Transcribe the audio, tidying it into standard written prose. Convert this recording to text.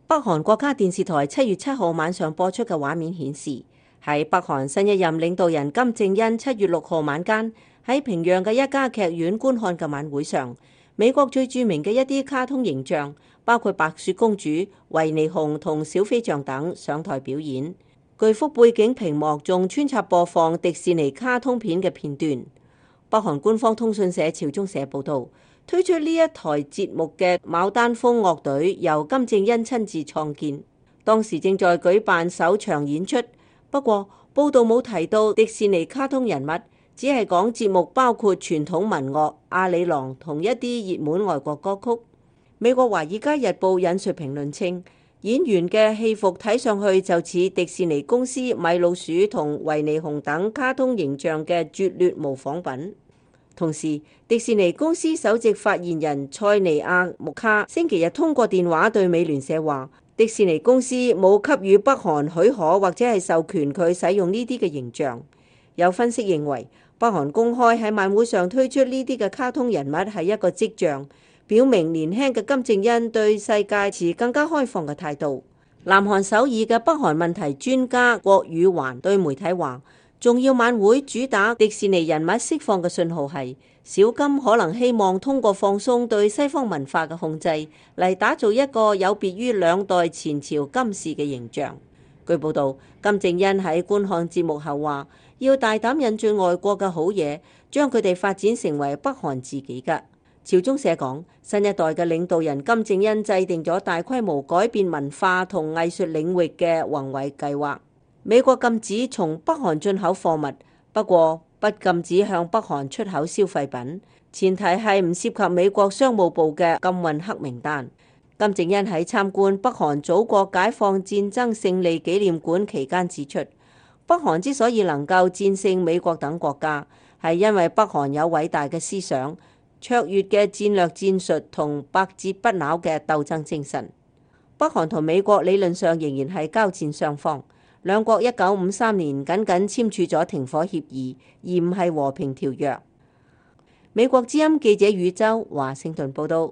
北韓國家電視台7月7號晚上播出嘅畫面顯示，喺北韓新一任領導人金正恩7月6號晚間喺平壤嘅一家劇院觀看嘅晚會上，美國最著名嘅一啲卡通形象，包括白雪公主、維尼熊同小飛象等上台表演。巨幅背景屏幕仲穿插播放迪士尼卡通片嘅片段。北韓官方通訊社朝中社報導，推出呢一台節目嘅牡丹峰樂隊由金正恩親自創建，當時正在舉辦首場演出。不過報導冇提到迪士尼卡通人物，只係講節目包括傳統民樂、阿里郎同一啲熱門外國歌曲。美國《華爾街日報》引述評論稱，演員嘅戲服睇上去就似迪士尼公司米老鼠同維尼熊等卡通形象嘅拙劣模仿品。同時，迪士尼公司首席發言人塞尼亞穆卡星期日通過電話對美聯社話，迪士尼公司冇給予北韓許可或者係授權佢使用呢啲嘅形象。有分析認為，北韓公開喺晚會上推出呢啲嘅卡通人物係一個跡象，表明年輕嘅金正恩對世界持更加開放嘅態度。南韓首爾嘅北韓問題專家郭宇環對媒體話，重要晚會主打迪士尼人物釋放嘅信號係，小金可能希望通過放鬆對西方文化嘅控制嚟打造一個有別於兩代前朝金氏嘅形象。據報道，金正恩喺觀看節目後話，要大膽引進外國嘅好嘢，將佢哋發展成為北韓自己嘅。朝中社講，新一代嘅領導人金正恩制定咗大規模改變文化同藝術領域嘅宏偉計劃。美國禁止從北韓進口貨物，不過不禁止向北韓出口消費品，前提係唔涉及美國商務部嘅禁運黑名單。金正恩喺參觀北韓祖國解放戰爭勝利紀念館期間指出，北韓之所以能夠戰勝美國等國家，係因為北韓有偉大嘅思想、卓越嘅戰略戰術同百折不撓嘅鬥爭精神。北韓同美國理論上仍然係交戰雙方，兩國1953年僅簽署咗停火協議，而唔係和平條約。美國之音記者宇宙華盛頓報道。